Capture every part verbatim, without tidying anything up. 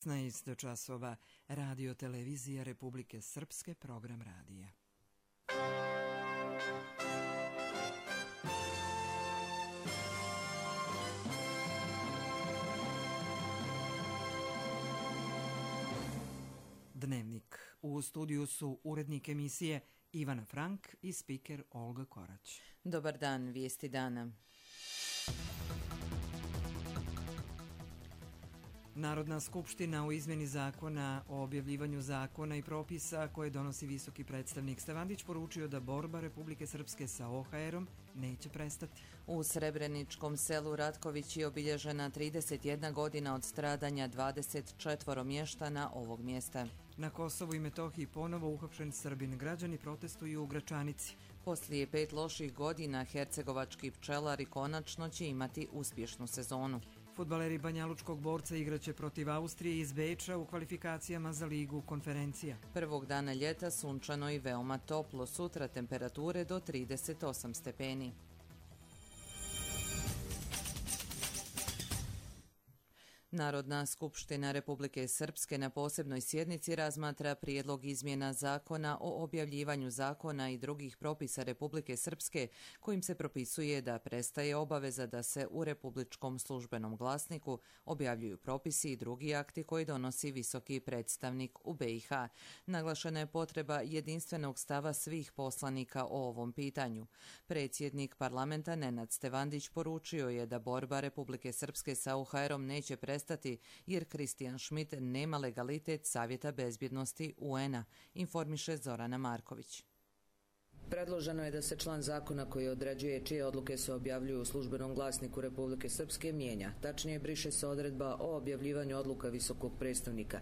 šesnaest časova, Radio Televizija Republike Srpske, program radija. Dnevnik. U studiju su urednik emisije Ivana Frank i spiker Olga Korać. Dobar dan, vijesti dana. Narodna skupština u izmjeni zakona o objavljivanju zakona i propisa koje donosi visoki predstavnik Stevandić poručio da borba Republike Srpske sa O H R-om neće prestati. U Srebreničkom selu Ratković je obilježena trideset jedna godina od stradanja dvadeset četvoro mještana ovog mjesta. Na Kosovu i Metohiji ponovo uhapšen Srbin. Građani protestuju u Gračanici. Poslije pet loših godina hercegovački pčelari konačno će imati uspješnu sezonu. Fudbaleri banjalučkog Borca igraće protiv Austrije iz Beča u kvalifikacijama za ligu konferencija. Prvog dana ljeta sunčano i veoma toplo, sutra temperature do trideset osam stepeni. Narodna skupština Republike Srpske na posebnoj sjednici razmatra prijedlog izmjena zakona o objavljivanju zakona i drugih propisa Republike Srpske kojim se propisuje da prestaje obaveza da se u Republičkom službenom glasniku objavljuju propisi i drugi akti koji donosi visoki predstavnik u B i H. Naglašena je potreba jedinstvenog stava svih poslanika o ovom pitanju. Predsjednik parlamenta Nenad Stevandić poručio je da borba Republike Srpske sa O H R-om neće prestati jer Kristijan Schmidt nema legalitet Savjeta bezbjednosti U N-a, informiše Zorana Marković. Predloženo je da se član zakona koji određuje čije odluke se objavljuju u službenom glasniku Republike Srpske mijenja. Tačnije, briše se odredba o objavljivanju odluka visokog predstavnika.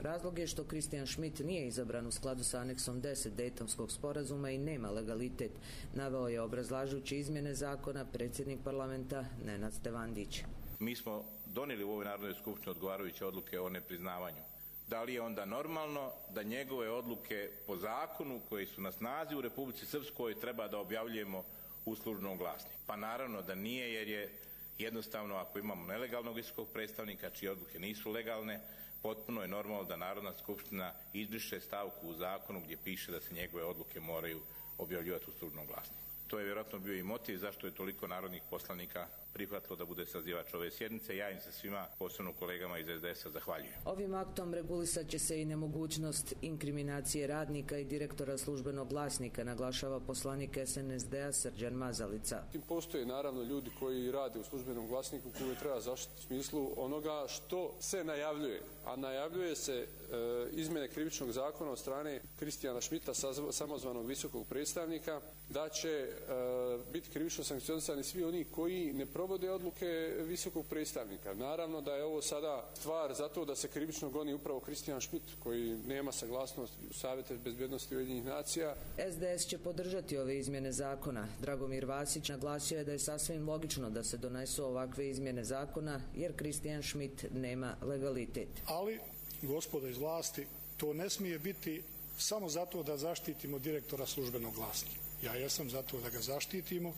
Razlog je što Kristijan Schmidt nije izabran u skladu sa aneksom deset Dejtonskog sporazuma i nema legalitet, naveo je obrazlažući izmjene zakona predsjednik parlamenta Nenad Stevandić. Mi smo donijeli u ovoj Narodnoj skupštini odgovarajuće odluke o nepriznavanju. Da li je onda normalno da njegove odluke po zakonu koji su na snazi u Republici Srpskoj treba da objavljujemo u službenom glasniku? Pa naravno da nije, jer je jednostavno ako imamo nelegalnog visokog predstavnika čije odluke nisu legalne, potpuno je normalno da Narodna skupština izbriše stavku u zakonu gdje piše da se njegove odluke moraju objavljivati u službenom glasniku. To je vjerojatno bio i motiv zašto je toliko narodnih poslanika prihvatilo da bude sazivač ove sjednice. Ja im se svima, posebno kolegama iz S D S-a, zahvaljujem. Ovim aktom regulisat će se i nemogućnost inkriminacije radnika i direktora službenog glasnika, naglašava poslanik S N S D-a Srđan Mazalica. Postoje naravno ljudi koji rade u službenom glasniku koji treba zaštiti u smislu onoga što se najavljuje. A najavljuje se e, izmjene krivičnog zakona od strane Kristijana Schmidta, samozvanog visokog predstavnika, da će e, biti krivično sankcionisani svi oni koji ne provode odluke visokog predstavnika. Naravno da je ovo sada stvar zato da se krivično goni upravo Kristijan Schmidt koji nema saglasnost u Savjetu bezbjednosti Ujedinjenih nacija. S D S će podržati ove izmjene zakona. Dragomir Vasić naglasio je da je sasvim logično da se donesu ovakve izmjene zakona jer Kristijan Schmidt nema legalitet. Ali, gospodo iz vlasti, to ne smije biti samo zato da zaštitimo direktora službenog glasnika. Ja jesam zato da ga zaštitimo,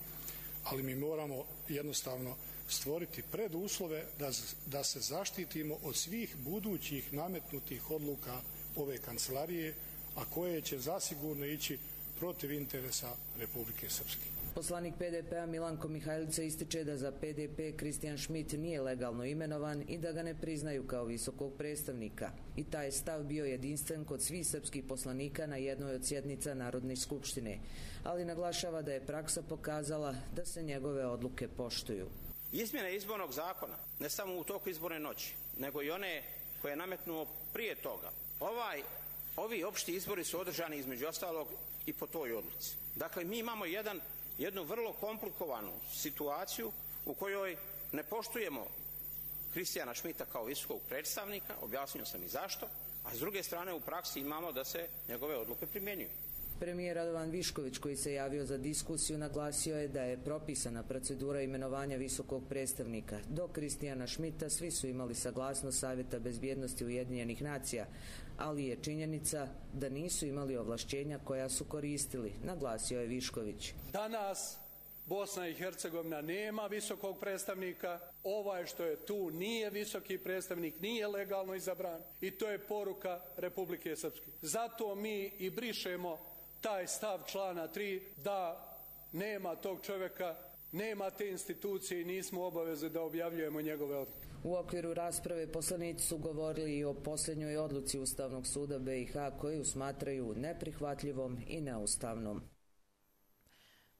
ali mi moramo jednostavno stvoriti preduslove da, da se zaštitimo od svih budućih nametnutih odluka ove kancelarije, a koje će zasigurno ići protiv interesa Republike Srpske. Poslanik P D P-a Milanko Mihajlica ističe da za P D P Kristijan Schmidt nije legalno imenovan i da ga ne priznaju kao visokog predstavnika. I taj stav bio jedinstven kod svih srpskih poslanika na jednoj od sjednica Narodne skupštine, ali naglašava da je praksa pokazala da se njegove odluke poštuju. Izmjene izbornog zakona, ne samo u toku izborne noći, nego i one koje je nametnuo prije toga. Ovaj Ovi opšti izbori su održani između ostalog i po toj odluci. Dakle, mi imamo jedan, jednu vrlo komplikovanu situaciju u kojoj ne poštujemo Kristijana Schmidta kao visokog predstavnika, objasnio sam i zašto, a s druge strane u praksi imamo da se njegove odluke primjenjuju. Premijer Radovan Višković, koji se javio za diskusiju, naglasio je da je propisana procedura imenovanja visokog predstavnika. Do Kristijana Schmidta svi su imali saglasnost Savjeta bezbjednosti Ujedinjenih nacija, ali je činjenica da nisu imali ovlašćenja koja su koristili, naglasio je Višković. Danas Bosna i Hercegovina nema visokog predstavnika, ovaj što je tu nije visoki predstavnik, nije legalno izabran i to je poruka Republike Srpske. Zato mi i brišemo taj stav člana tri da nema tog čovjeka, nema te institucije i nismo obavezni da objavljujemo njegove odluke. U okviru rasprave poslanici su govorili i o posljednjoj odluci Ustavnog suda B i H koju smatraju neprihvatljivom i neustavnom.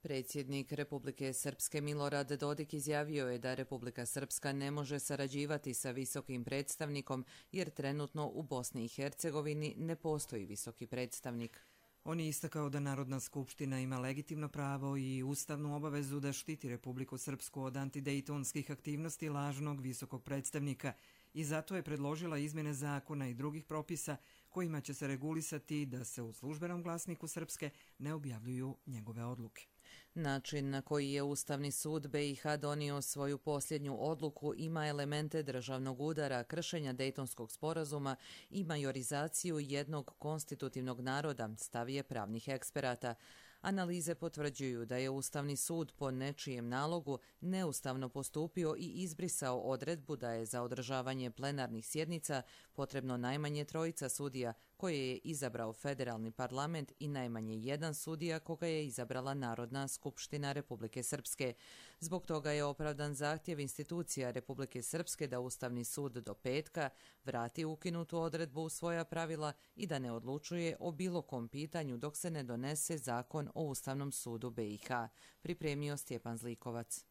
Predsjednik Republike Srpske Milorad Dodik izjavio je da Republika Srpska ne može sarađivati sa visokim predstavnikom jer trenutno u Bosni i Hercegovini ne postoji visoki predstavnik. On je istakao da Narodna skupština ima legitimno pravo i ustavnu obavezu da štiti Republiku Srpsku od antidejtonskih aktivnosti lažnog visokog predstavnika i zato je predložila izmjene zakona i drugih propisa kojima će se regulisati da se u službenom glasniku Srpske ne objavljuju njegove odluke. Način na koji je Ustavni sud B i H donio svoju posljednju odluku ima elemente državnog udara, kršenja Dejtonskog sporazuma i majorizaciju jednog konstitutivnog naroda, stav je pravnih eksperata. Analize potvrđuju da je Ustavni sud po nečijem nalogu neustavno postupio i izbrisao odredbu da je za održavanje plenarnih sjednica potrebno najmanje trojica sudija koje je izabrao federalni parlament i najmanje jedan sudija koga je izabrala Narodna skupština Republike Srpske. Zbog toga je opravdan zahtjev institucija Republike Srpske da Ustavni sud do petka vrati ukinutu odredbu u svoja pravila i da ne odlučuje o bilo kom pitanju dok se ne donese zakon o Ustavnom sudu B i H, pripremio Stjepan Zlikovac.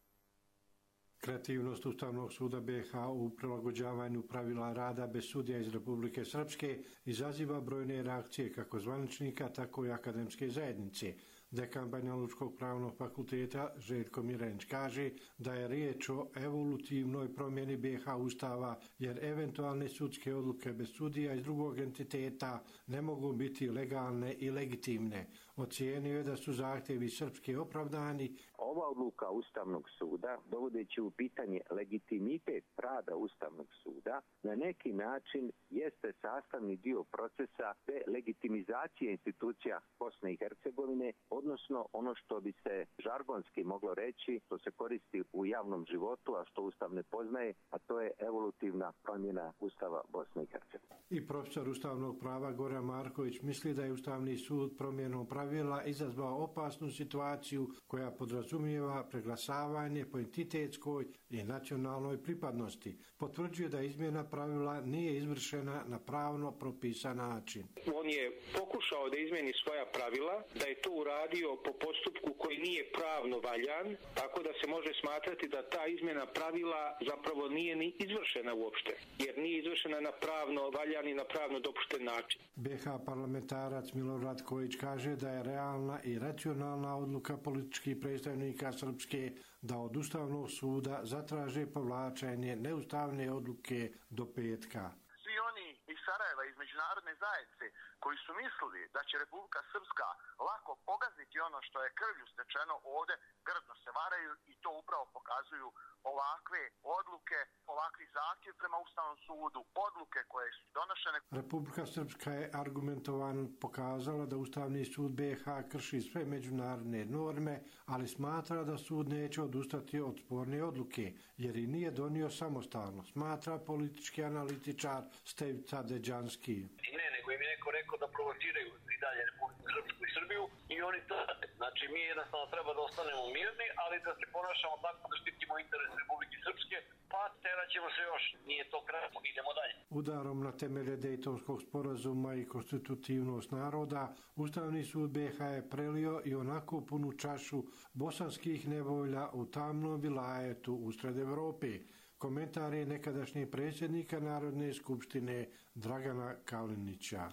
Kreativnost Ustavnog suda B i H u prilagođavanju pravila rada bez sudija iz Republike Srpske izaziva brojne reakcije kako zvaničnika, tako i akademske zajednice. Dekan Banjalučkog pravnog fakulteta Željko Mirenić kaže da je riječ o evolutivnoj promjeni B i H Ustava jer eventualne sudske odluke bez sudija iz drugog entiteta ne mogu biti legalne i legitimne. Ocijenio je da su zahtjevi Srpske opravdani. Ova odluka Ustavnog suda, dovodeći u pitanje legitimitet rada Ustavnog suda, na neki način jeste sastavni dio procesa te legitimizacije institucija Bosne i Hercegovine, odnosno ono što bi se žargonski moglo reći, što se koristi u javnom životu, a što Ustav ne poznaje, a to je evolutivna promjena Ustava Bosne i Hercegovine. I profesor ustavnog prava Goran Marković misli da je Ustavni sud promjenom pravila izazvao opasnu situaciju koja podrazumijeva preglasavanje po entitetskoj i nacionalnoj pripadnosti. Potvrđuje da izmjena pravila nije izvršena na pravno propisan način. On je pokušao da izmeni svoja pravila, da je to uradio po postupku koji nije pravno valjan, tako da se može smatrati da ta izmjena pravila zapravo nije ni izvršena uopšte, jer nije izvršena na pravno valjan i na pravno dopušten način. B i H parlamentarac Milorad Kojić kaže da je realna i racionalna odluka političkih predstavnika Srpske da od Ustavnog suda zatraže povlačenje neustavne odluke do petka. Svi oni iz Sarajeva, iz međunarodne zajednice, koji su mislili da će Republika Srpska lako pogaziti ono što je krvlju stečeno ovde, grdno se varaju i to upravo pokazuju ovakve odluke, ovakvi zahtjev prema Ustavnom sudu, odluke koje su donošene. Republika Srpska je argumentovano pokazala da Ustavni sud B i H krši sve međunarodne norme, ali smatra da sud neće odustati od sporne odluke, jer i nije donio samostalno, smatra politički analitičar Stevica Deđanski. Ne, nego im je neko rekao da provociraju i dalje Republiku Srpsku i Srbiju i oni to rade. Znači mi jednostavno treba da ostanemo mirni, ali da se ponašamo tako da štitimo interes Republike Srpske, pa terat ćemo se još. Nije to kratko, idemo dalje. Udarom na temelje Dejtonskog sporazuma i konstitutivnost naroda, Ustavni sud B i H je prelio i onako punu čašu bosanskih nevolja u tamnom vilajetu usred Evrope. Komentar je nekadašnjeg predsjednika Narodne skupštine Dragana Kalinića.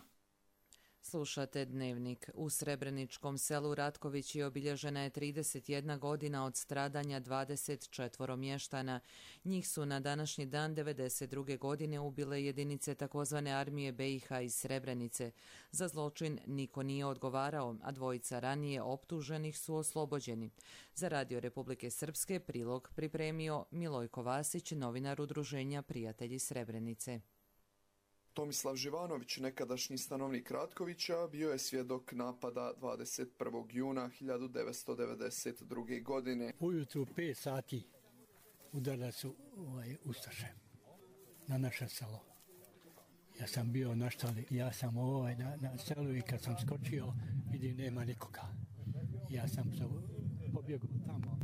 Slušate Dnevnik. U Srebreničkom selu Ratkovići obilježena je trideset jedna godina od stradanja dvadeset četvoro mještana. Njih su na današnji dan devedeset druge godine ubile jedinice takozvane armije B i H iz Srebrenice. Za zločin niko nije odgovarao, a dvojica ranije optuženih su oslobođeni. Za Radio Republike Srpske prilog pripremio Milojko Vasić, novinar Udruženja Prijatelji Srebrenice. Tomislav Živanović, nekadašnji stanovnik Ratkovića, bio je svjedok napada dvadeset prvog juna hiljadu devetsto devedeset druge. godine. Ujutru pet sati udarali su ovaj, ustaše na naše selo. Ja sam bio na štali, ja sam ovaj na, na selu i kad sam skočio vidim nema nikoga. Ja sam se pobjegao tamo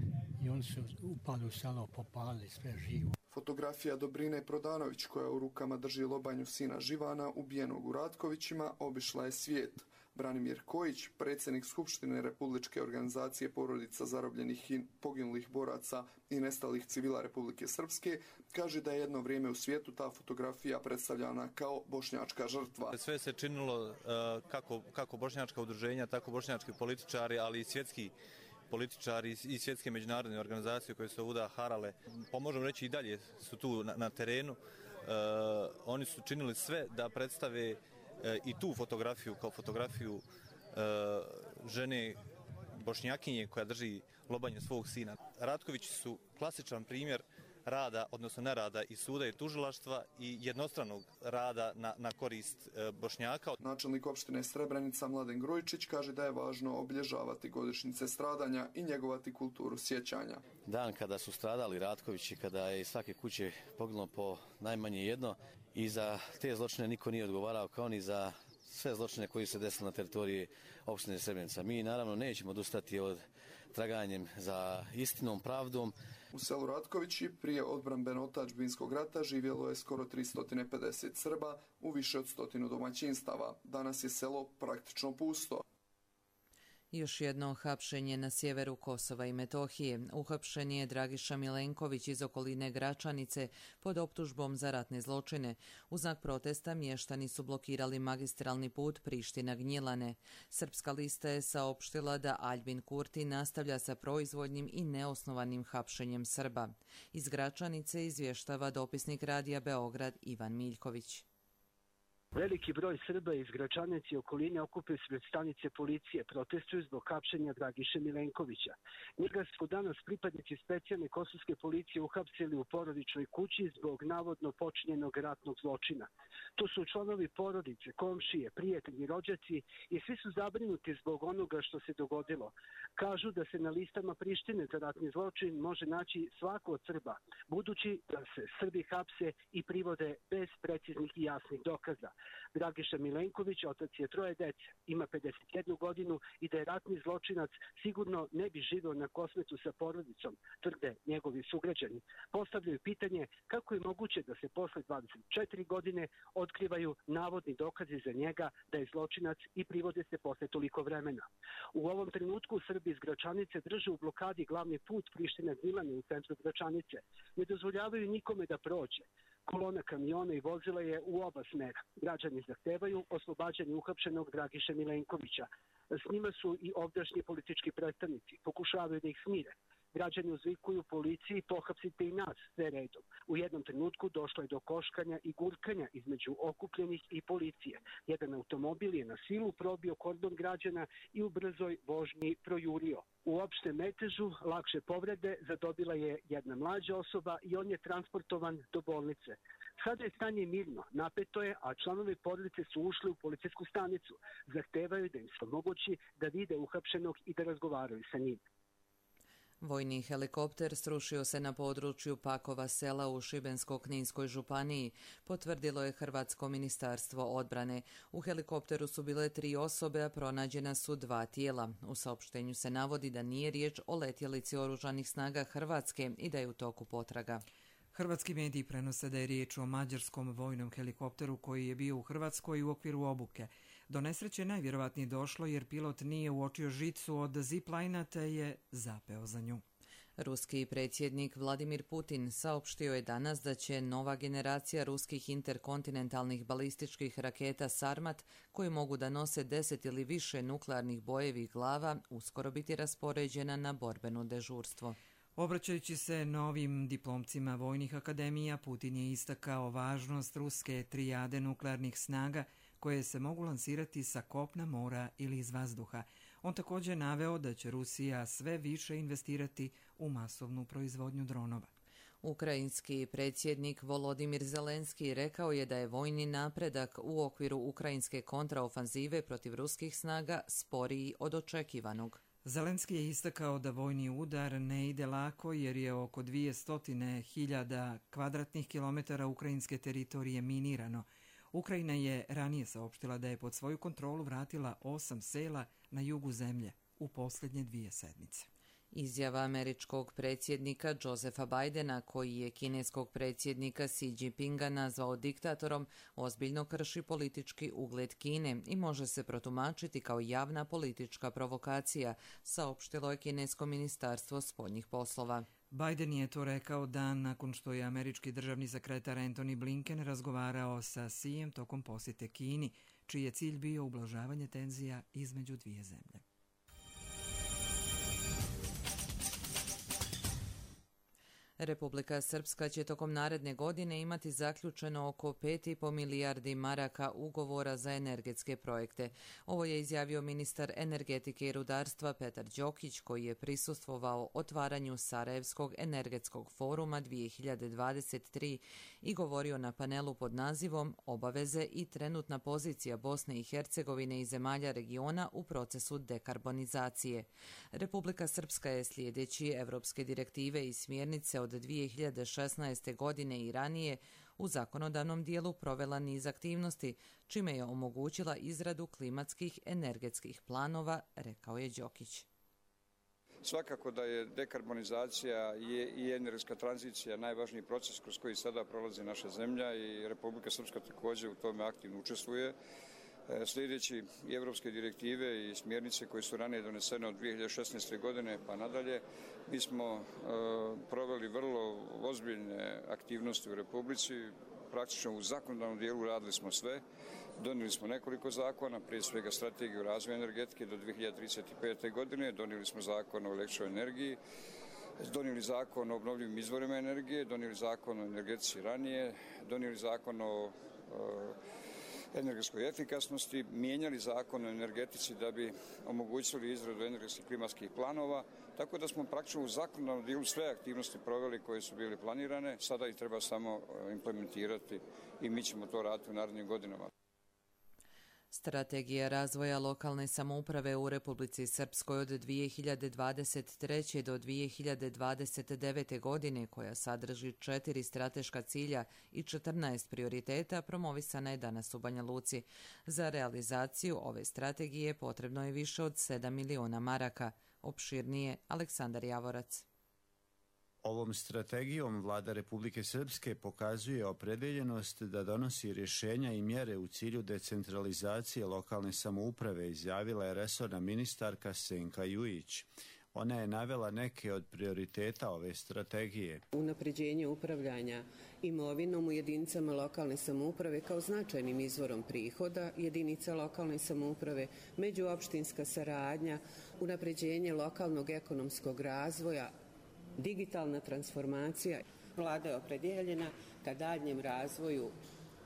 i oni su upali u selo, popali sve živo. Fotografija Dobrine Prodanović, koja u rukama drži lobanju sina Živana, ubijenog u Ratkovićima, obišla je svijet. Branimir Kojić, predsjednik Skupštine Republičke organizacije porodica zarobljenih i poginulih boraca i nestalih civila Republike Srpske, kaže da je jedno vrijeme u svijetu ta fotografija predstavljana kao bošnjačka žrtva. Sve se činilo uh, kako, kako bošnjačka udruženja, tako bošnjački političari, ali i svjetski političari i svjetske međunarodne organizacije koje su ovuda harale, pa možemo reći i dalje su tu na, na terenu. Uh, oni su činili sve da predstave uh, i tu fotografiju kao fotografiju uh, žene bošnjakinje koja drži lobanju svog sina. Ratkovići su klasičan primjer rada, odnosno nerada i suda i tužilaštva i jednostranog rada na, na korist e, Bošnjaka. Načelnik opštine Srebrenica Mladen Grujičić kaže da je važno obilježavati godišnjice stradanja i njegovati kulturu sjećanja. Dan kada su stradali Ratkovići, kada je iz svake kuće poginulo po najmanje jedno i za te zločine niko nije odgovarao, kao ni za sve zločine koji se desili na teritoriji opštine Srebrenica. Mi naravno nećemo odustati od traganjem za istinom, pravdom. U selu Ratkovići prije odbrambeno-otadžbinskog rata živjelo je skoro tristo pedeset Srba u više od stotinu domaćinstava. Danas je selo praktično pusto. Još jedno hapšenje na sjeveru Kosova i Metohije. Uhapšen je Dragiša Milenković iz okoline Gračanice pod optužbom za ratne zločine. U znak protesta mještani su blokirali magistralni put Priština-Gnjilane. Srpska lista je saopštila da Aljbin Kurti nastavlja sa proizvoljnim i neosnovanim hapšenjem Srba. Iz Gračanice izvještava dopisnik Radija Beograd Ivan Miljković. Veliki broj Srba iz Gračanice i okoline okupio se pred stanice policije, protestuju zbog hapšenja Dragiše Milenkovića. Njega su danas pripadnici specijalne kosovske policije uhapsili u porodičnoj kući zbog navodno počinjenog ratnog zločina. To su članovi porodice, komšije, prijatelji, rođaci i svi su zabrinuti zbog onoga što se dogodilo. Kažu da se na listama Prištine za ratni zločin može naći svako od Srba, budući da se Srbi hapse i privode bez preciznih i jasnih dokaza. Dragiša Milenković, otac je troje dece, ima pedeset jednu godinu i da je ratni zločinac sigurno ne bi živio na Kosmetu sa porodicom, tvrde njegovi sugrađani. Postavljaju pitanje kako je moguće da se posle dvadeset četiri godine otkrivaju navodni dokazi za njega da je zločinac i privode se posle toliko vremena. U ovom trenutku Srbi iz Gračanice drže u blokadi glavni put Priština-Gnjilane u centru Gračanice. Ne dozvoljavaju nikome da prođe. Kolona kamiona i vozila je u oba smera. Građani zahtevaju oslobađanje uhapšenog Dragiše Milenkovića. S njima su i ovdašnji politički predstavnici. Pokušavaju da ih smire. Građani uzvikuju policiji, pohapsite i nas, sve redom. U jednom trenutku došlo je do koškanja i gurkanja između okupljenih i policije. Jedan automobil je na silu probio kordon građana i u brzoj vožnji projurio. U opštem metežu lakše povrede zadobila je jedna mlađa osoba i on je transportovan do bolnice. Sada je stanje mirno, napeto je, a članovi porodice su ušli u policijsku stanicu. Zahtevaju da im se omogući da vide uhapšenog i da razgovaraju sa njim. Vojni helikopter srušio se na području Pakova sela u Šibensko-Kninskoj županiji, potvrdilo je Hrvatsko ministarstvo odbrane. U helikopteru su bile tri osobe, a pronađena su dva tijela. U saopštenju se navodi da nije riječ o letjelici oružanih snaga Hrvatske i da je u toku potraga. Hrvatski mediji prenose da je riječ o mađarskom vojnom helikopteru koji je bio u Hrvatskoj u okviru obuke. Do nesreće najvjerovatnije došlo jer pilot nije uočio žicu od ziplajna te je zapeo za nju. Ruski predsjednik Vladimir Putin saopštio je danas da će nova generacija ruskih interkontinentalnih balističkih raketa Sarmat, koji mogu da nose deset ili više nuklearnih bojevih glava, uskoro biti raspoređena na borbeno dežurstvo. Obraćajući se novim diplomcima vojnih akademija, Putin je istakao važnost ruske trijade nuklearnih snaga koje se mogu lansirati sa kopna, mora ili iz vazduha. On također naveo da će Rusija sve više investirati u masovnu proizvodnju dronova. Ukrajinski predsjednik Volodimir Zelenski rekao je da je vojni napredak u okviru ukrajinske kontraofanzive protiv ruskih snaga sporiji od očekivanog. Zelenski je istakao da vojni udar ne ide lako jer je oko dvjesto hiljada kvadratnih kilometara ukrajinske teritorije minirano. Ukrajina je ranije saopštila da je pod svoju kontrolu vratila osam sela na jugu zemlje u posljednje dvije sedmice. Izjava američkog predsjednika Josefa Bidena, koji je kineskog predsjednika Xi Jinpinga nazvao diktatorom, ozbiljno krši politički ugled Kine i može se protumačiti kao javna politička provokacija, saopštilo je kinesko ministarstvo spoljnih poslova. Biden je to rekao dan nakon što je američki državni sekretar Antony Blinken razgovarao sa Xijem tokom posjete Kini, čiji je cilj bio ublažavanje tenzija između dvije zemlje. Republika Srpska će tokom naredne godine imati zaključeno oko pet i po milijardi maraka ugovora za energetske projekte. Ovo je izjavio ministar energetike i rudarstva Petar Đokić, koji je prisustvovao otvaranju Sarajevskog energetskog foruma dvije hiljade dvadeset tri i govorio na panelu pod nazivom Obaveze i trenutna pozicija Bosne i Hercegovine i zemalja regiona u procesu dekarbonizacije. Republika Srpska je slijedeći evropske direktive i smjernice od dvije hiljade šesnaeste. godine i ranije u zakonodavnom dijelu provela niz aktivnosti, čime je omogućila izradu klimatskih energetskih planova, rekao je Đokić. Svakako da je dekarbonizacija i energetska tranzicija najvažniji proces kroz koji sada prolazi naša zemlja i Republika Srpska također u tome aktivno učestvuje. Sljedeći i evropske direktive i smjernice koje su ranije donesene od dvije hiljade šesnaeste. godine pa nadalje, mi smo proveli vrlo ozbiljne aktivnosti u Republici. Praktično u zakonodavnom dijelu radili smo sve. Donijeli smo nekoliko zakona, prije svega strategiju razvoja energetike do dvije hiljade trideset pete. godine, donijeli smo zakon o električnoj energiji, donijeli zakon o obnovljivim izvorima energije, donijeli zakon o energetici ranije, donijeli zakon o energetskoj efikasnosti, mijenjali zakon o energetici da bi omogućili izradu energetskih klimatskih planova, tako da smo praktično u zakonodavnom dijelu sve aktivnosti proveli koje su bile planirane, sada ih treba samo implementirati i mi ćemo to raditi u narednim godinama. Strategija razvoja lokalne samouprave u Republici Srpskoj od dvije hiljade dvadeset treće. do dvije hiljade dvadeset devete. godine, koja sadrži četiri strateška cilja i četrnaest prioriteta, promovisana je danas u Banja Luci. Za realizaciju ove strategije potrebno je više od sedam miliona maraka. Opširnije Aleksandar Javorac. Ovom strategijom vlada Republike Srpske pokazuje opredeljenost da donosi rješenja i mjere u cilju decentralizacije lokalne samouprave, izjavila je resorna ministarka Senka Jujić. Ona je navela neke od prioriteta ove strategije. Unapređenje upravljanja imovinom u jedinicama lokalne samouprave kao značajnim izvorom prihoda jedinica lokalne samouprave, međuopštinska saradnja, unapređenje lokalnog ekonomskog razvoja, digitalna transformacija. Vlada je opredjeljena ka daljnjem razvoju,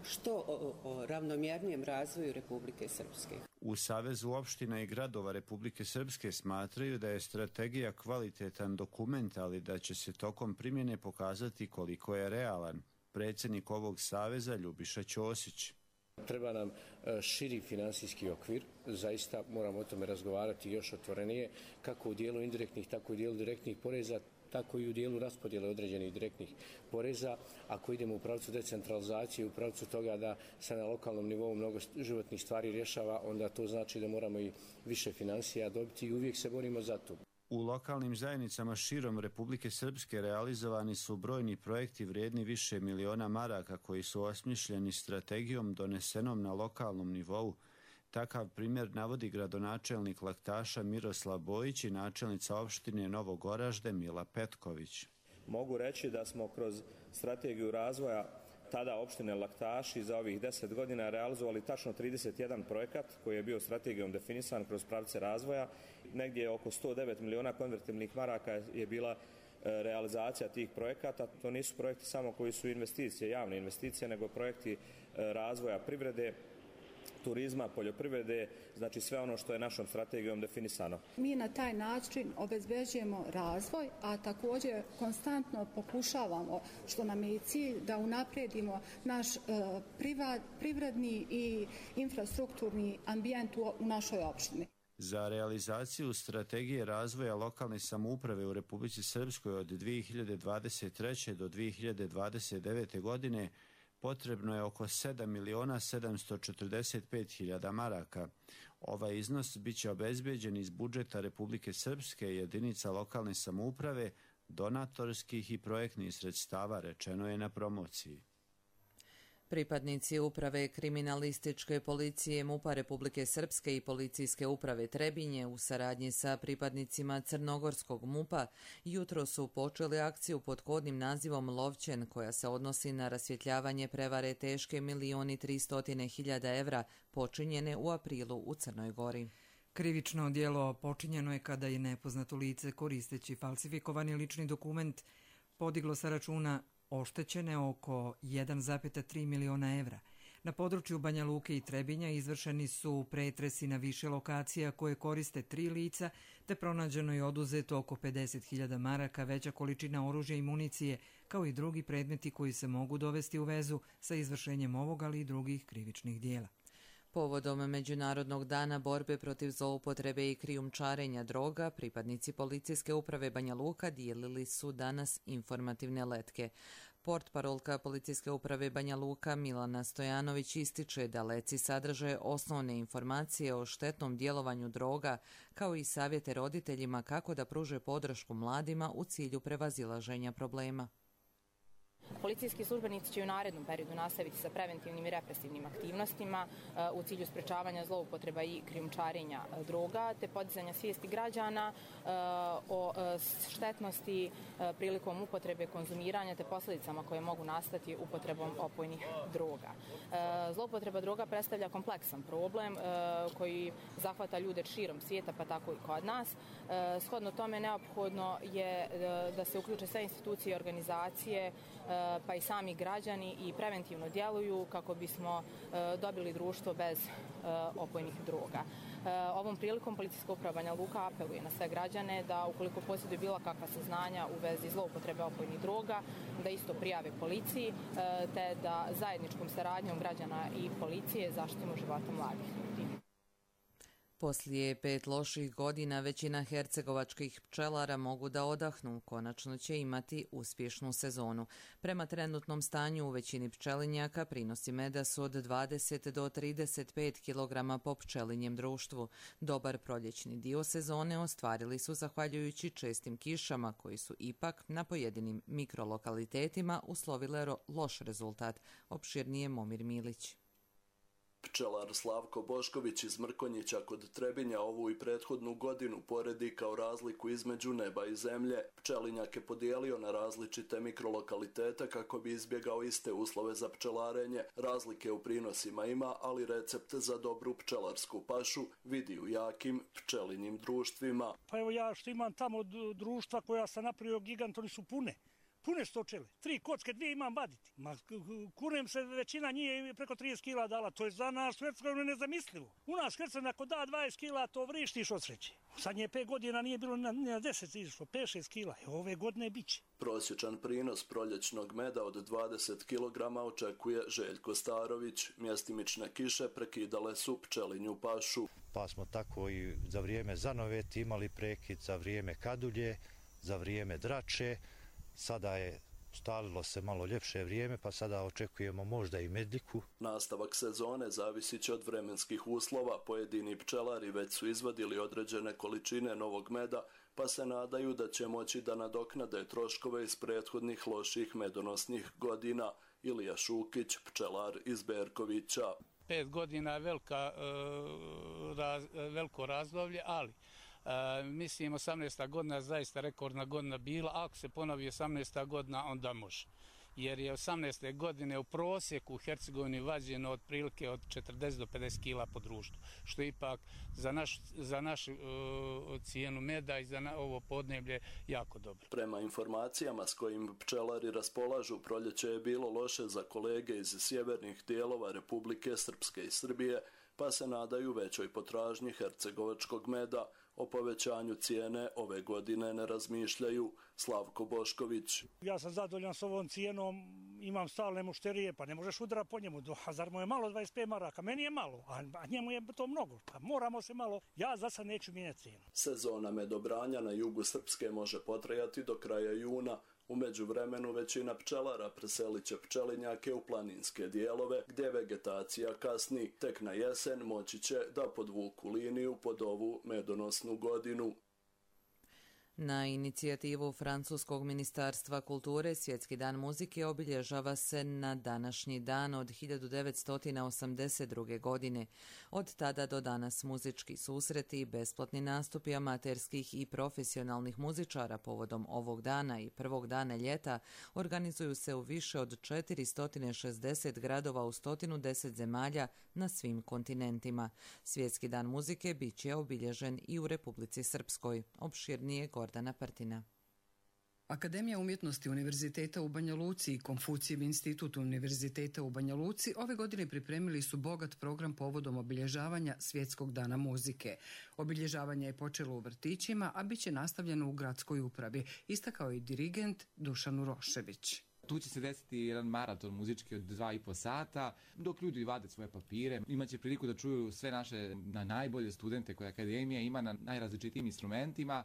što o, o ravnomjernijem razvoju Republike Srpske. U Savezu opština i gradova Republike Srpske smatraju da je strategija kvalitetan dokument, ali da će se tokom primjene pokazati koliko je realan. Predsjednik ovog saveza Ljubiša Ćosić. Treba nam širi finansijski okvir, zaista moramo o tome razgovarati još otvorenije, kako u dijelu indirektnih, tako i u dijelu direktnih poreza, tako i u dijelu raspodjele određenih direktnih poreza. Ako idemo u pravcu decentralizacije, u pravcu toga da se na lokalnom nivou mnogo životnih stvari rješava, onda to znači da moramo i više financija dobiti i uvijek se borimo za to. U lokalnim zajednicama širom Republike Srpske realizovani su brojni projekti vrijedni više miliona maraka koji su osmišljeni strategijom donesenom na lokalnom nivou. Takav primjer navodi gradonačelnik Laktaša Miroslav Bojić i načelnica opštine Novog Oražde Mila Petković. Mogu reći da smo kroz strategiju razvoja tada opštine Laktaši za ovih deset godina realizovali tačno trideset jedan projekat koji je bio strategijom definisan kroz pravce razvoja. Negdje oko sto devet miliona konvertibilnih maraka je bila realizacija tih projekata. To nisu projekti samo koji su investicije, javne investicije, nego projekti razvoja privrede, turizma, poljoprivrede, znači sve ono što je našom strategijom definisano. Mi na taj način obezbeđujemo razvoj, a također konstantno pokušavamo, što nam je i cilj, da unaprijedimo naš e, privat, privredni i infrastrukturni ambijent u, u našoj opštini. Za realizaciju strategije razvoja lokalne samouprave u Republici Srpskoj od dvije hiljade dvadeset treće do dvije hiljade dvadeset devete. godine potrebno je oko sedam miliona sedamsto četrdeset pet hiljada maraka. Ovaj iznos biće obezbeđen iz budžeta Republike Srpske, jedinica lokalne samouprave, donatorskih i projektnih sredstava, rečeno je na promociji. Pripadnici uprave kriminalističke policije MUP-a Republike Srpske i policijske uprave Trebinje u saradnji sa pripadnicima Crnogorskog MUP-a jutro su počeli akciju pod kodnim nazivom Lovćen, koja se odnosi na rasvjetljavanje prevare teške milioni tristotine hiljada evra počinjene u aprilu u Crnoj Gori. Krivično djelo počinjeno je kada je nepoznato lice koristeći falsifikovani lični dokument podiglo sa računa oštećene oko jedan zarez tri miliona evra. Na području Banja Luke i Trebinja izvršeni su pretresi na više lokacija koje koriste tri lica, te pronađeno je oduzeto oko pedeset hiljada maraka, veća količina oružja i municije, kao i drugi predmeti koji se mogu dovesti u vezu sa izvršenjem ovog, ali i drugih krivičnih dijela. Povodom Međunarodnog dana borbe protiv zloupotrebe i krijumčarenja droga, pripadnici policijske uprave Banja Luka dijelili su danas informativne letke. Portparolka policijske uprave Banja Luka Milana Stojanović ističe da letci sadrže osnovne informacije o štetnom djelovanju droga, kao i savjete roditeljima kako da pruže podršku mladima u cilju prevazilaženja problema. Policijski službenici će u narednom periodu nastaviti sa preventivnim i represivnim aktivnostima u cilju sprečavanja zloupotreba i krijumčarenja droga, te podizanja svijesti građana o štetnosti prilikom upotrebe, konzumiranja te posljedicama koje mogu nastati upotrebom opojnih droga. Zloupotreba droga predstavlja kompleksan problem koji zahvata ljude širom svijeta, pa tako i kod nas. Shodno tome neophodno je da se uključe sve institucije i organizacije, pa i sami građani i preventivno djeluju kako bismo dobili društvo bez opojnih droga. Ovom prilikom policijska uprava Banja Luka apeluje na sve građane da ukoliko posjeduju bilo kakva saznanja u vezi zloupotrebe opojnih droga, da isto prijave policiji, te da zajedničkom saradnjom građana i policije zaštitimo života mladih ljudi. Poslije pet loših godina većina hercegovačkih pčelara mogu da odahnu, konačno će imati uspješnu sezonu. Prema trenutnom stanju u većini pčelinjaka prinosi meda su od dvadeset do trideset pet kilograma po pčelinjem društvu. Dobar proljećni dio sezone ostvarili su zahvaljujući čestim kišama koji su ipak na pojedinim mikrolokalitetima uslovile loš rezultat, opširnije Momir Milić. Pčelar Slavko Bošković iz Mrkonjića kod Trebinja ovu i prethodnu godinu poredi kao razliku između neba i zemlje. Pčelinjak je podijelio na različite mikrolokalitete kako bi izbjegao iste uslove za pčelarenje. Razlike u prinosima ima, ali recept za dobru pčelarsku pašu vidi u jakim pčelinjim društvima. Pa evo ja što imam tamo društva koja sam napravio gigant, oni su pune. Pune stočele. Tri kocke, dvije imam vaditi. Ma, kunem se, većina nije preko trideset kila dala. To je za nas Hercegovinu nezamislivo. U nas Hercegovina ako da dvadeset kila, to vrištiš od sreće. Sad nje pet godina nije bilo na, na deset išlo, pet šest kila. E, ove godine bit će. Prosječan prinos proljećnog meda od dvadeset kilograma očekuje Željko Starović. Mjestimične kiše prekidale su pčelinju pašu. Pa smo tako i za vrijeme zanoveti imali prekid, za vrijeme kadulje, za vrijeme drače. Sada je stalilo se malo ljepše vrijeme, pa sada očekujemo možda i medliku. Nastavak sezone zavisit će od vremenskih uslova. Pojedini pčelari već su izvadili određene količine novog meda, pa se nadaju da će moći da nadoknade troškove iz prethodnih loših medonosnih godina. Ilija Šukić, pčelar iz Berkovića. Pet godina je velika, raz, veliko razdoblje, ali Uh, mislim osamnaesta godina zaista rekordna godina bila, ako se ponovi osamnaesta godina onda može. jer je osamnaeste godine u prosjeku u Hercegovini vađeno otprilike od četrdeset do pedeset kila po društvu, što je ipak za, naš, za našu uh, cijenu meda i za na, ovo podneblje jako dobro. Prema informacijama s kojim pčelari raspolažu, proljeće je bilo loše za kolege iz sjevernih dijelova Republike Srpske i Srbije, pa se nadaju većoj potražnji hercegovačkog meda. O povećanju cijene ove godine ne razmišljaju. Slavko Bošković. Ja sam zadovoljan s ovom cijenom, imam stalne mušterije, pa ne možeš udara po njemu. A zar mu je malo dvadeset pet maraka? Meni je malo, a njemu je to mnogo. Pa moramo se malo, ja za sad neću mijenjati cijenu. Sezona medobranja na jugu Srpske može potrajati do kraja juna. U međuvremenu većina pčelara preselit će pčelinjake u planinske dijelove gdje vegetacija kasni. Tek na jesen moći će da podvuku liniju pod ovu medonosnu godinu. Na inicijativu Francuskog ministarstva kulture Svjetski dan muzike obilježava se na današnji dan od hiljadu devetsto osamdeset druge. godine. Od tada do danas muzički susreti i besplatni nastupi amaterskih i profesionalnih muzičara povodom ovog dana i prvog dana ljeta organizuju se u više od četiristo šezdeset gradova u sto deset zemalja na svim kontinentima. Svjetski dan muzike bit će obilježen i u Republici Srpskoj. Opširnije Gordana Partina. Akademija umjetnosti Univerziteta u Banja Luci i Konfucijev institut Univerziteta u Banja Luci ove godine pripremili su bogat program povodom obilježavanja Svjetskog dana muzike. Obilježavanje je počelo u vrtićima, a bit će nastavljeno u gradskoj upravi, istakao i dirigent Dušan Urošević. Tu će se desiti jedan maraton muzički od dva i po sata, dok ljudi vade svoje papire. Imaće priliku da čuju sve naše najbolje studente koje Akademija ima na najrazličitijim instrumentima.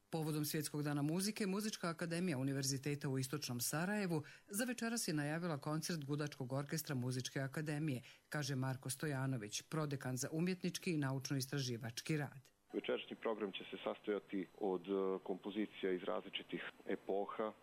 Povodom Svjetskog dana muzike, Muzička akademija Univerziteta u Istočnom Sarajevu za večeras je najavila koncert Gudačkog orkestra Muzičke akademije, kaže Marko Stojanović, prodekan za umjetnički i naučno-istraživački rad. Večerašnji program će se sastojati od kompozicija iz različitih epoha,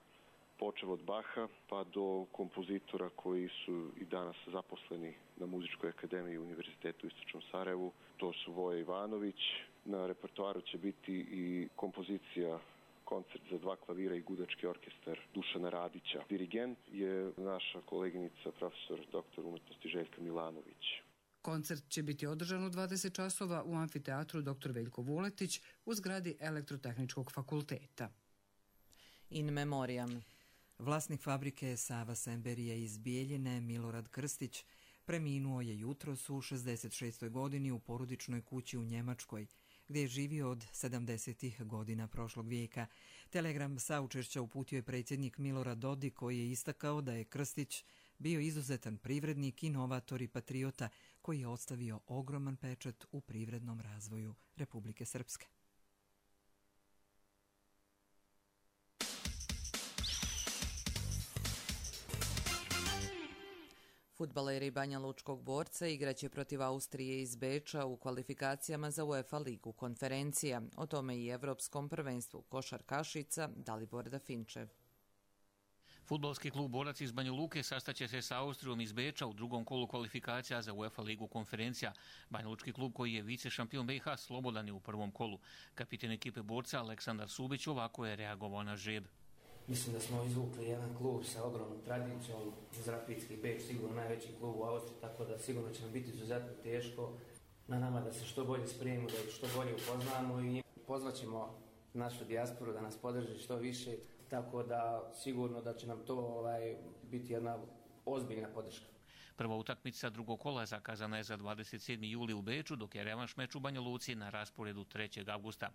počev od Baha pa do kompozitora koji su i danas zaposleni na Muzičkoj akademiji Univerzitetu u Istočnom Sarajevu. To su Voja Ivanović. Na repertoaru će biti i kompozicija koncert za dva klavira i gudački orkestar Dušana Radića. Dirigent je naša koleginica profesor doktor umjetnosti Željka Milanović. Koncert će biti održan u dvadeset časova u amfiteatru doktor Veljko Vuletić u zgradi Elektrotehničkog fakulteta. In memoriam. Vlasnik fabrike Sava Semberije iz Bijeljine, Milorad Krstić, preminuo je jutros u šezdeset šestoj godini u porodičnoj kući u Njemačkoj, gdje je živio od sedamdesetih godina prošlog vijeka. Telegram saučešća uputio je predsjednik Milorad Dodik, koji je istakao da je Krstić bio izuzetan privrednik, inovator i patriota koji je ostavio ogroman pečat u privrednom razvoju Republike Srpske. Fudbaleri Banja Lučkog Borca igraće protiv Austrije iz Beča u kvalifikacijama za UEFA ligu konferencija. O tome i Evropskom prvenstvu košarkašica Dalibor Dafinčev. Fudbalski klub Borac iz Banja Luke sastaće se sa Austrijom iz Beča u drugom kolu kvalifikacija za UEFA ligu konferencija. Banja Lučki klub, koji je vice šampion B i H, slobodan je u prvom kolu. Kapiten ekipe Borca Aleksandar Subić ovako je reagovao na žreb. Mislim da smo izvukli jedan klub sa ogromnom tradicijom, Rapidski Beč, sigurno najveći klub u Austriji, tako da sigurno će nam biti izuzetno teško. Na nama da se što bolje spremimo, da ih što bolje upoznamo i pozvaćemo našu dijasporu da nas podrži što više, tako da sigurno da će nam to ovaj, biti jedna ozbiljna podrška. Prva utakmica drugog kola zakazana je za dvadeset sedmi juli u Beču, dok je revanš meč u Banja Luci na rasporedu trećeg avgusta.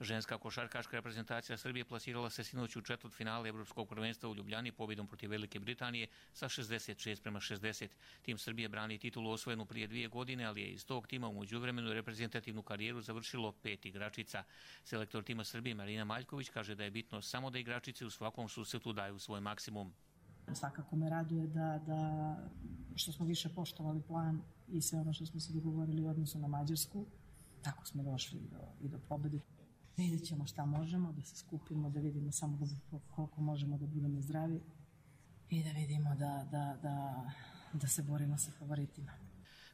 Ženska košarkaška reprezentacija Srbije plasirala se sinoć u četvrtfinale Evropskog prvenstva u Ljubljani pobjedom protiv Velike Britanije sa šezdeset šest prema šezdeset. Tim Srbije brani titulu osvojenu prije dvije godine, ali je iz tog tima u međuvremenu reprezentativnu karijeru završilo pet igračica. Selektor tima Srbije Marina Maljković kaže da je bitno samo da igračice u svakom susretu daju svoj maksimum. Svakako me raduje da, da što smo više poštovali plan i sve ono što smo se dogovorili u odnosu na Mađarsku. Tako smo došli do, i do pobjede. Vidjet ćemo šta možemo, da se skupimo, da vidimo samo da, koliko možemo da budemo zdravi i da vidimo da, da, da, da se borimo sa favoritima.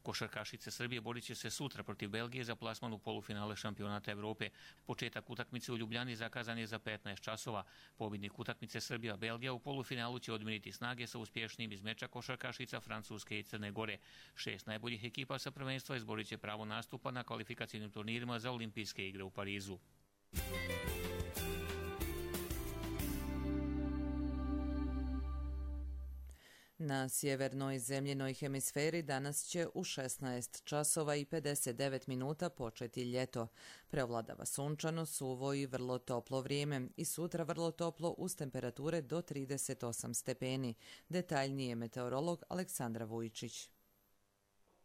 Košarkašice Srbije borit će se sutra protiv Belgije za plasman u polufinale šampionata Evrope. Početak utakmice u Ljubljani zakazan je za petnaest časova. Pobjednik utakmice Srbija-Belgija u polufinalu će odmiriti snage sa uspješnijim iz meča košarkašica Francuske i Crne Gore. Šest najboljih ekipa sa prvenstva izborit će pravo nastupa na kvalifikacijnim turnirima za olimpijske igre u Parizu. Na sjevernoj zemljenoj hemisferi danas će u šesnaest časova i pedeset devet minuta početi ljeto. Preovladava sunčano, suvo i vrlo toplo vrijeme i sutra vrlo toplo uz temperature do trideset osam stepeni. Detaljnije meteorolog Aleksandra Vujičić.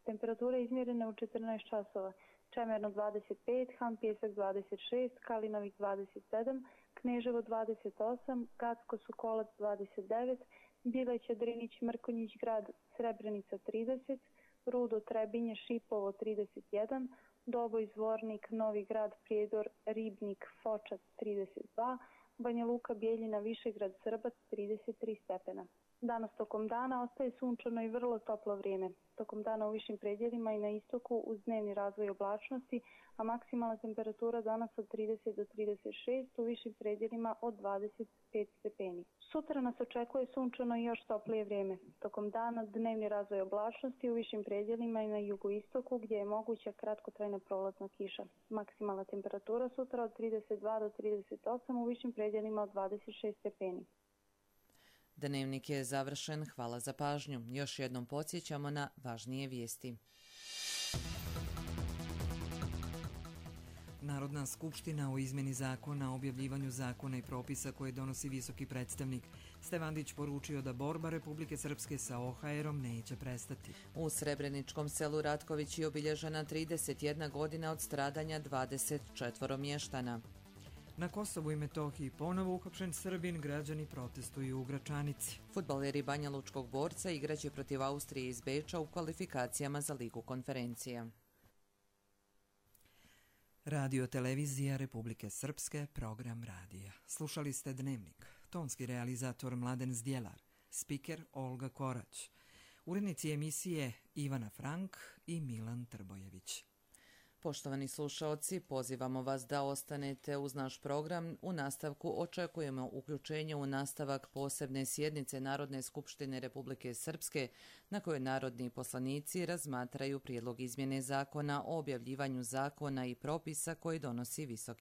Temperature izmjerene u četrnaest časova. Čemerno dvadeset pet, Han Pjesak dvadeset šest, Kalinovik dvadeset sedam, Kneževo dvadeset osam, Gacko Sokolac dvadeset devet, Bileća, Drinić, Mrkonjić Grad, Srebrenica trideset, Rudo, Trebinje, Šipovo trideset jedan, Doboj, Zvornik, Novi Grad, Prijedor, Ribnik, Foča trideset dva, Banja Luka, Bijeljina, Višegrad, Srbac trideset tri stepena. Danas tokom dana ostaje sunčano i vrlo toplo vrijeme. Tokom dana u višim predjelima i na istoku uz dnevni razvoj oblačnosti, a maksimalna temperatura danas od trideset do trideset šest, u višim predjelima od dvadeset pet stepeni. Sutra nas očekuje sunčano i još toplije vrijeme. Tokom dana dnevni razvoj oblačnosti u višim predjelima i na jugoistoku gdje je moguća kratkotrajna prolazna kiša. Maksimalna temperatura sutra od trideset dva do trideset osam, u višim predjelima od dvadeset šest stepeni. Dnevnik je završen, hvala za pažnju. Još jednom podsjećamo na važnije vijesti. Narodna skupština o izmjeni zakona o objavljivanju zakona i propisa koje donosi visoki predstavnik. Stevandić poručio da borba Republike Srpske sa O H R-om neće prestati. U Srebreničkom selu Ratković je obilježena trideset jedna godina od stradanja dvadeset četvoro mještana. Na Kosovu i Metohiji ponovo uhapšen Srbin, građani protestuju u Gračanici. Fudbaleri Banja Lučkog Borca igraće protiv Austrije iz Beča u kvalifikacijama za Ligu konferencija. Radio televizija Republike Srpske, program radija. Slušali ste Dnevnik. Tonski realizator Mladen Zdjelar, spiker Olga Korać, urednici emisije Ivana Frank i Milan Trbojević. Poštovani slušaoci, pozivamo vas da ostanete uz naš program. U nastavku očekujemo uključenje u nastavak posebne sjednice Narodne skupštine Republike Srpske, na kojoj narodni poslanici razmatraju prijedlog izmjene zakona o objavljivanju zakona i propisa koji donosi Visoki